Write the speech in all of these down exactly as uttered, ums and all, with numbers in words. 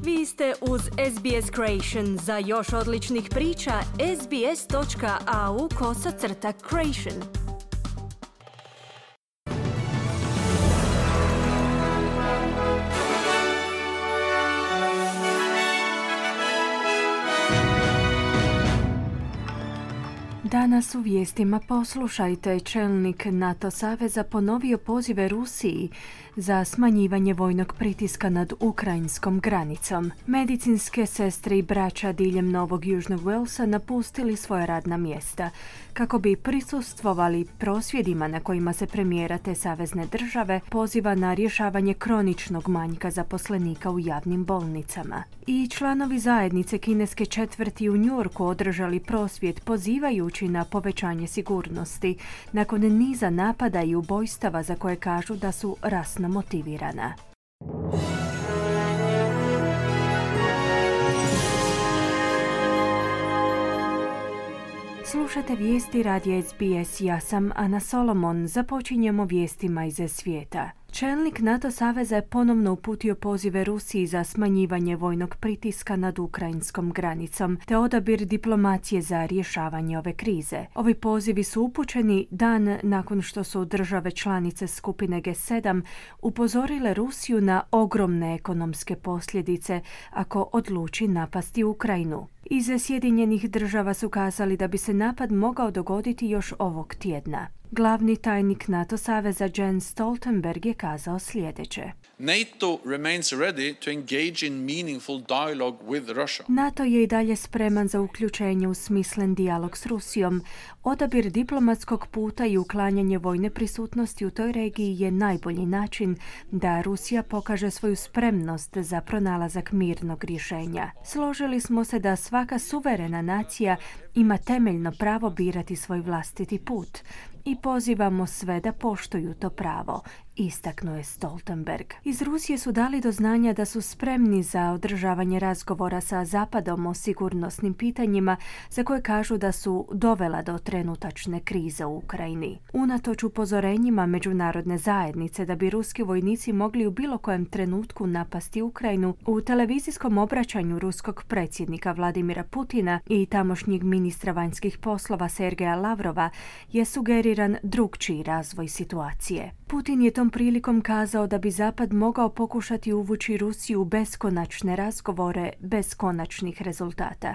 Vi ste uz S B S Creation. Za još odličnih priča, sbs.au kosacrta creation. Danas u vijestima poslušajte. Čelnik NATO saveza ponovio pozive Rusiji za smanjivanje vojnog pritiska nad ukrajinskom granicom. Medicinske sestre i braća diljem Novog Južnog Walesa napustili svoja radna mjesta kako bi prisustvovali prosvjedima na kojima se premijera te savezne države poziva na rješavanje kroničnog manjka zaposlenika u javnim bolnicama. I članovi zajednice kineske četvrti u Njujorku održali prosvjed pozivajući na povećanje sigurnosti nakon niza napada i ubojstava za koje kažu da su rasno motivirana. Slušate vijesti radija S B S, ja sam Ana Solomon. Započinjemo vijestima iz svijeta. Čelnik NATO saveza je ponovno uputio pozive Rusiji za smanjivanje vojnog pritiska nad ukrajinskom granicom te odabir diplomacije za rješavanje ove krize. Ovi pozivi su upućeni dan nakon što su države članice skupine G sedam upozorile Rusiju na ogromne ekonomske posljedice ako odluči napasti Ukrajinu. Iz Sjedinjenih država su kazali da bi se napad mogao dogoditi još ovog tjedna. Glavni tajnik NATO saveza Jens Stoltenberg je kazao sljedeće. NATO remains ready to engage in meaningful dialogue with Russia. NATO je i dalje spreman za uključenje u smislen dijalog s Rusijom. Odabir diplomatskog puta i uklanjanje vojne prisutnosti u toj regiji je najbolji način da Rusija pokaže svoju spremnost za pronalazak mirnog rješenja. Složili smo se da svaka suverena nacija ima temeljno pravo birati svoj vlastiti put i pozivamo sve da poštuju to pravo, istaknuo je Stoltenberg. Iz Rusije su dali do znanja da su spremni za održavanje razgovora sa Zapadom o sigurnosnim pitanjima za koje kažu da su dovela do trenutačne krize u Ukrajini. Unatoč upozorenjima međunarodne zajednice da bi ruski vojnici mogli u bilo kojem trenutku napasti Ukrajinu, u televizijskom obraćanju ruskog predsjednika Vladimira Putina i tamošnjeg ministra vanjskih poslova Sergeja Lavrova je sugeriran drukčiji razvoj situacije. Putin je tom prilikom kazao da bi Zapad mogao pokušati uvući Rusiju u beskonačne razgovore bez konačnih rezultata,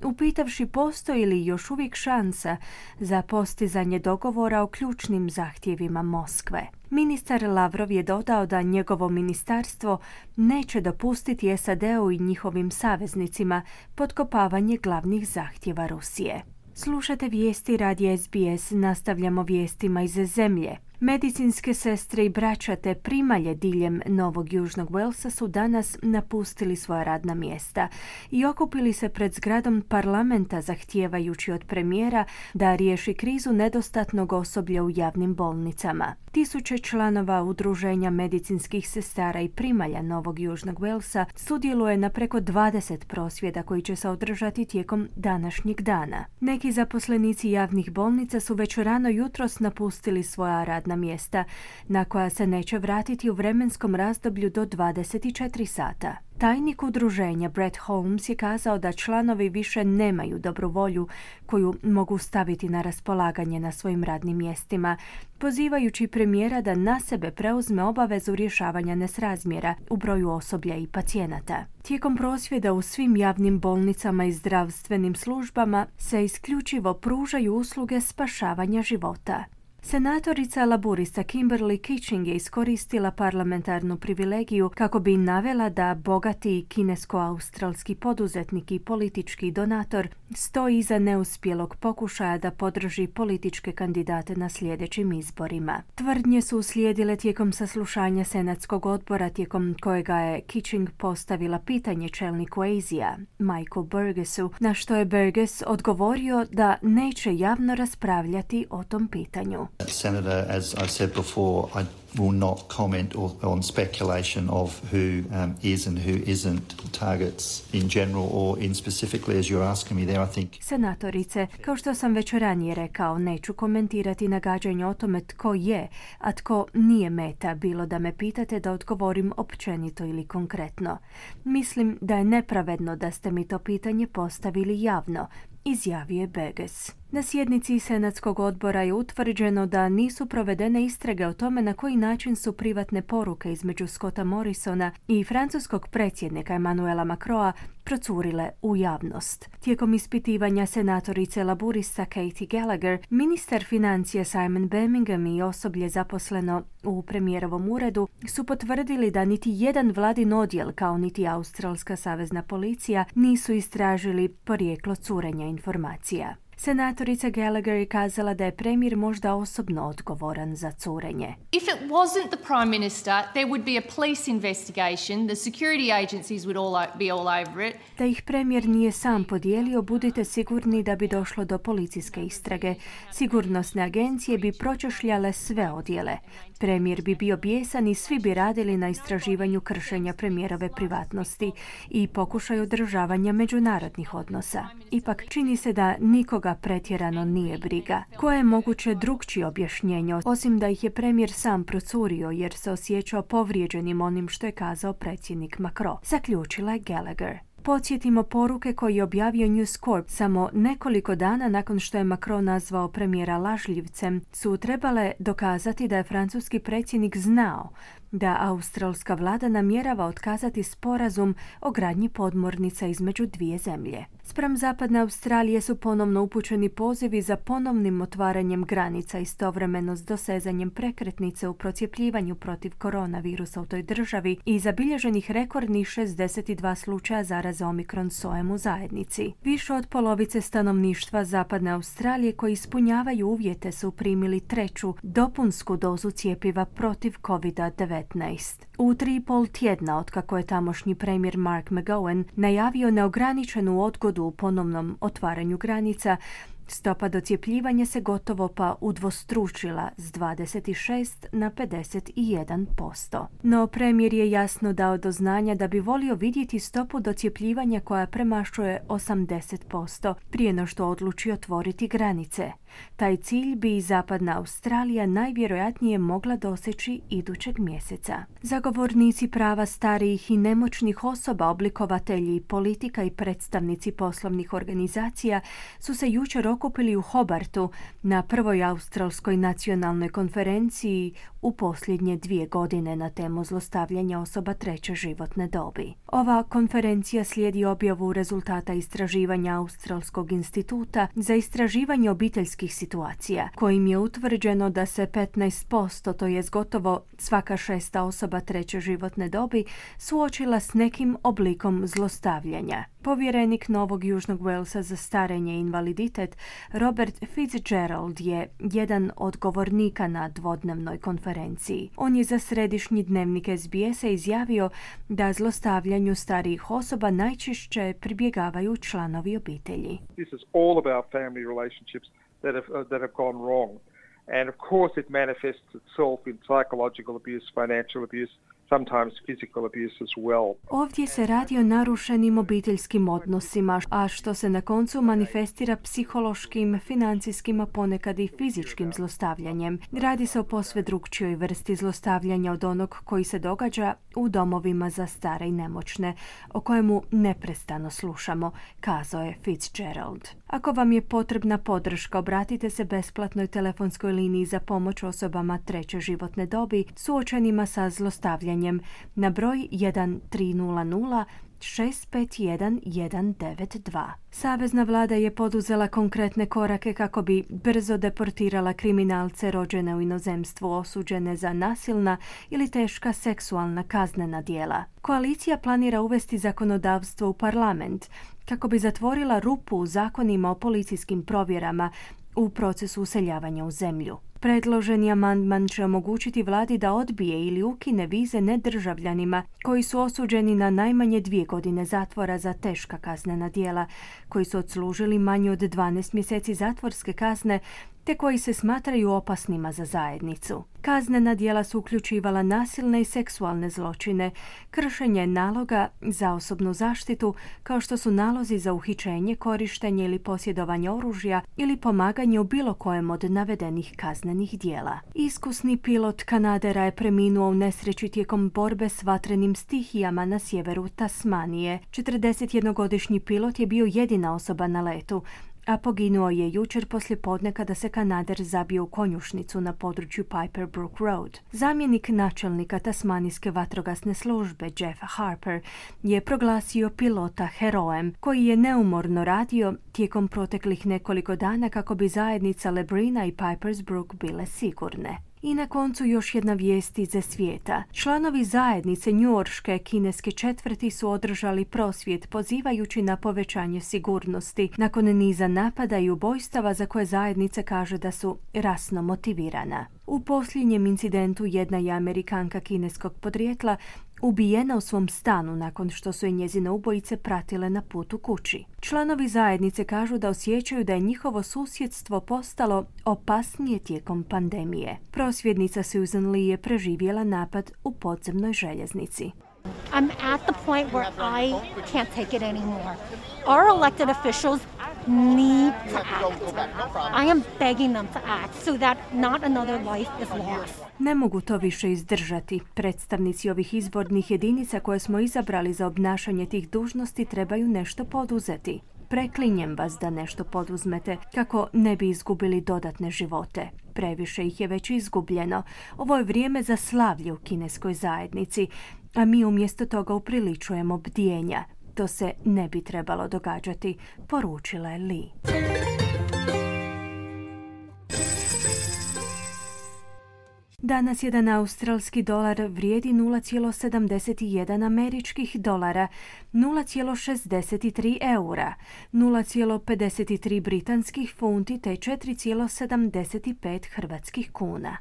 upitavši postoji li još uvijek šansa za postizanje dogovora o ključnim zahtjevima Moskve. Ministar Lavrov je dodao da njegovo ministarstvo neće dopustiti S A D-u i njihovim saveznicima potkopavanje glavnih zahtjeva Rusije. Slušate vijesti radija S B S, nastavljamo vijestima iz zemlje. Medicinske sestre i braća te primalje diljem Novog Južnog Walesa su danas napustili svoja radna mjesta i okupili se pred zgradom parlamenta zahtijevajući od premijera da riješi krizu nedostatnog osoblja u javnim bolnicama. Tisuće članova udruženja medicinskih sestara i primalja Novog Južnog Walesa sudjeluje na preko dvadeset prosvjeda koji će se održati tijekom današnjeg dana. Neki zaposlenici javnih bolnica su već rano jutros napustili svoja radna mjesta, na koja se neće vratiti u vremenskom razdoblju do dvadeset četiri sata. Tajnik udruženja Brett Holmes je kazao da članovi više nemaju dobru volju koju mogu staviti na raspolaganje na svojim radnim mjestima, pozivajući premijera da na sebe preuzme obavezu rješavanja nesrazmjera u broju osoblja i pacijenata. Tijekom prosvjeda u svim javnim bolnicama i zdravstvenim službama se isključivo pružaju usluge spašavanja života. Senatorica laburista Kimberly Kitching je iskoristila parlamentarnu privilegiju kako bi navela da bogati kinesko-australski poduzetnik i politički donator stoji iza neuspjelog pokušaja da podrži političke kandidate na sljedećim izborima. Tvrdnje su uslijedile tijekom saslušanja Senatskog odbora tijekom kojega je Kitching postavila pitanje čelniku Azija, Michael Burgessu, na što je Burgess odgovorio da neće javno raspravljati o tom pitanju. Senator, as I've said before, I will not comment on speculation of who um, is and who isn't targets in general or in specifically as you're asking me there, I think. Senatorice, kao što sam već ranije rekao, neću komentirati nagađanje o tome tko je, a tko nije meta, bilo da me pitate da odgovorim općenito ili konkretno. Mislim da je nepravedno da ste mi to pitanje postavili javno, izjavio je Beges. Na sjednici Senatskog odbora je utvrđeno da nisu provedene istrage o tome na koji način su privatne poruke između Scotta Morrisona i francuskog predsjednika Emmanuela Macrona procurile u javnost. Tijekom ispitivanja senatorice laburista Katie Gallagher, ministar financija Simon Birmingham i osoblje zaposleno u premijerovom uredu su potvrdili da niti jedan vladin odjel, kao niti Australska savezna policija, nisu istražili porijeklo curenja informacija. Senatorica Gallagher je kazala da je premijer možda osobno odgovoran za curenje. If it wasn't the Prime Minister, there would be a police investigation. The security agencies would all be all over it. Da ih premijer nije sam podijelio, budite sigurni da bi došlo do policijske istrage. Sigurnosne agencije bi pročešljale sve odjele. Premijer bi bio bijesan i svi bi radili na istraživanju kršenja premijerove privatnosti i pokušaju održavanja međunarodnih odnosa. Ipak čini se da nikoga pretjerano nije briga. Koje je moguće drugčije objašnjenje, osim da ih je premijer sam procurio jer se osjećao povrijeđenim onim što je kazao predsjednik Macron, zaključila je Gallagher. Podsjetimo, poruke koje je objavio News Corp samo nekoliko dana nakon što je Macron nazvao premijera lažljivcem su trebale dokazati da je francuski predsjednik znao da australska vlada namjerava otkazati sporazum o gradnji podmornica između dvije zemlje. Spram zapadne Australije su ponovno upućeni pozivi za ponovnim otvaranjem granica istovremeno s dosezanjem prekretnice u procijepljivanju protiv koronavirusa u toj državi i zabilježenih rekordnih šezdeset dva slučaja zaraze Omikron sojem u zajednici. Više od polovice stanovništva zapadne Australije koji ispunjavaju uvjete su primili treću dopunsku dozu cjepiva protiv kovid devetnaest. U tri i pol tjedna otkako je tamošnji premijer Mark McGowan najavio neograničenu odgodu u ponovnom otvaranju granica, stopa docjepljivanja se gotovo pa udvostručila s dvadeset šest na pedeset jedan posto. No premijer je jasno dao do znanja da bi volio vidjeti stopu docjepljivanja koja premašuje osamdeset posto prije no što odluči otvoriti granice. Taj cilj bi i zapadna Australija najvjerojatnije mogla doseći idućeg mjeseca. Zagovornici prava starijih i nemoćnih osoba, oblikovatelji politika i predstavnici poslovnih organizacija su se jučer okupili u Hobartu na prvoj australskoj nacionalnoj konferenciji u posljednje dvije godine na temu zlostavljanja osoba treće životne dobi. Ova konferencija slijedi objavu rezultata istraživanja Australskog instituta za istraživanje obiteljskih situacija, kojim je utvrđeno da se petnaest posto, to jest gotovo svaka šesta osoba treće životne dobi, suočila s nekim oblikom zlostavljanja. Povjerenik Novog Južnog Walesa za starenje i invaliditet Robert Fitzgerald je jedan od govornika na dvodnevnoj konferenciji. On je za središnji dnevnik S B S-a izjavio da zlostavljanju starijih osoba najčešće pribjegavaju članovi obitelji. This is all about family relationships that have, uh, that have gone wrong. And of course it manifests itself in psychological abuse, financial abuse, sometimes physical abuse as well. Ovdje se radi o narušenim obiteljskim odnosima, a što se na koncu manifestira psihološkim, financijskim, a ponekad i fizičkim zlostavljanjem. Radi se o posve drugčijoj vrsti zlostavljanja od onog koji se događa u domovima za stare i nemoćne, o kojemu neprestano slušamo, kazao je Fitzgerald. Ako vam je potrebna podrška, obratite se besplatnoj telefonskoj liniji za pomoć osobama treće životne dobi suočenima sa zlostavljanjem na broj jedan tri nula nula šest pet jedan jedan devet dva. Savezna vlada je poduzela konkretne korake kako bi brzo deportirala kriminalce rođene u inozemstvu osuđene za nasilna ili teška seksualna kaznena djela. Koalicija planira uvesti zakonodavstvo u parlament kako bi zatvorila rupu u zakonima o policijskim provjerama u procesu useljavanja u zemlju. Predloženi amandman će omogućiti vladi da odbije ili ukine vize nedržavljanima koji su osuđeni na najmanje dvije godine zatvora za teška kaznena djela, koji su odslužili manje od dvanaest mjeseci zatvorske kazne te koji se smatraju opasnima za zajednicu. Kaznena djela su uključivala nasilne i seksualne zločine, kršenje naloga za osobnu zaštitu, kao što su nalozi za uhićenje, korištenje ili posjedovanje oružja ili pomaganje u bilo kojem od navedenih kaznenih djela. Iskusni pilot Kanadera je preminuo u nesreći tijekom borbe s vatrenim stihijama na sjeveru Tasmanije. četrdesetjednogodišnji pilot je bio jedina osoba na letu, a poginuo je jučer poslijepodne kada se Kanader zabio u konjušnicu na području Piper Brook Road. Zamjenik načelnika Tasmanijske vatrogasne službe Jeff Harper je proglasio pilota herojem koji je neumorno radio tijekom proteklih nekoliko dana kako bi zajednica Lebrina i Pipers Brook bile sigurne. I na koncu još jedna vijest iz svijeta. Članovi zajednice njujorške kineske četvrti su održali prosvjed pozivajući na povećanje sigurnosti nakon niza napada i ubojstava za koje zajednica kaže da su rasno motivirana. U posljednjem incidentu jedna je Amerikanka kineskog podrijetla ubijena u svom stanu nakon što su je njezine ubojice pratile na putu kući. Članovi zajednice kažu da osjećaju da je njihovo susjedstvo postalo opasnije tijekom pandemije. Prosvjednica Susan Lee je preživjela napad u podzemnoj željeznici. I'm at the point where I can't take it anymore. Our elected officials need to act. I am begging them to act so that not another life is lost. Ne mogu to više izdržati. Predstavnici ovih izbornih jedinica koje smo izabrali za obnašanje tih dužnosti trebaju nešto poduzeti. Preklinjem vas da nešto poduzmete kako ne bi izgubili dodatne živote. Previše ih je već izgubljeno. Ovo je vrijeme za slavlje u kineskoj zajednici, a mi umjesto toga upriličujemo bdjenja. To se ne bi trebalo događati, poručila je Lee. Danas jedan australski dolar vrijedi nula zarez sedamdeset jedan američkih dolara, nula zarez šezdeset tri eura, nula zarez pedeset tri britanskih funti te četiri zarez sedamdeset pet hrvatskih kuna.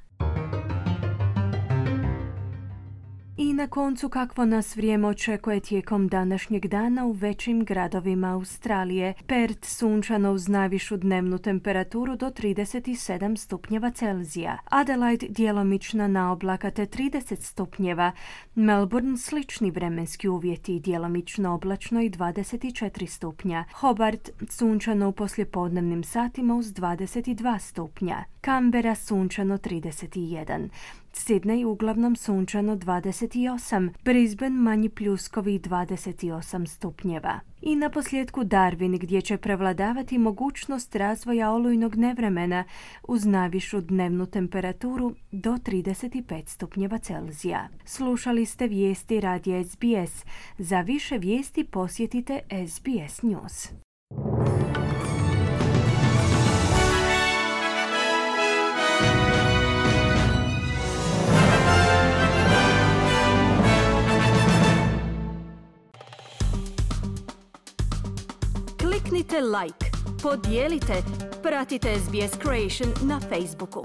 I na koncu kakvo nas vrijeme očekuje tijekom današnjeg dana u većim gradovima Australije. Perth sunčano uz najvišu dnevnu temperaturu do trideset sedam stupnjeva Celzija. Adelaide djelomična naoblaka te trideset stupnjeva. Melbourne slični vremenski uvjeti i djelomično oblačno i dvadeset četiri stupnja. Hobart sunčano u poslijepodnevnim satima uz dvadeset dva stupnja. Canberra sunčano trideset jedan. Sydney uglavnom sunčano dvadeset osam, Brisbane manji pljuskovi dvadeset osam stupnjeva. I na posljedku Darwin gdje će prevladavati mogućnost razvoja olujnog nevremena uz najvišu dnevnu temperaturu do trideset pet stupnjeva Celzija. Slušali ste vijesti radija S B S. Za više vijesti posjetite S B S News. Kliknite like, podijelite, pratite S B S Creation na Facebooku.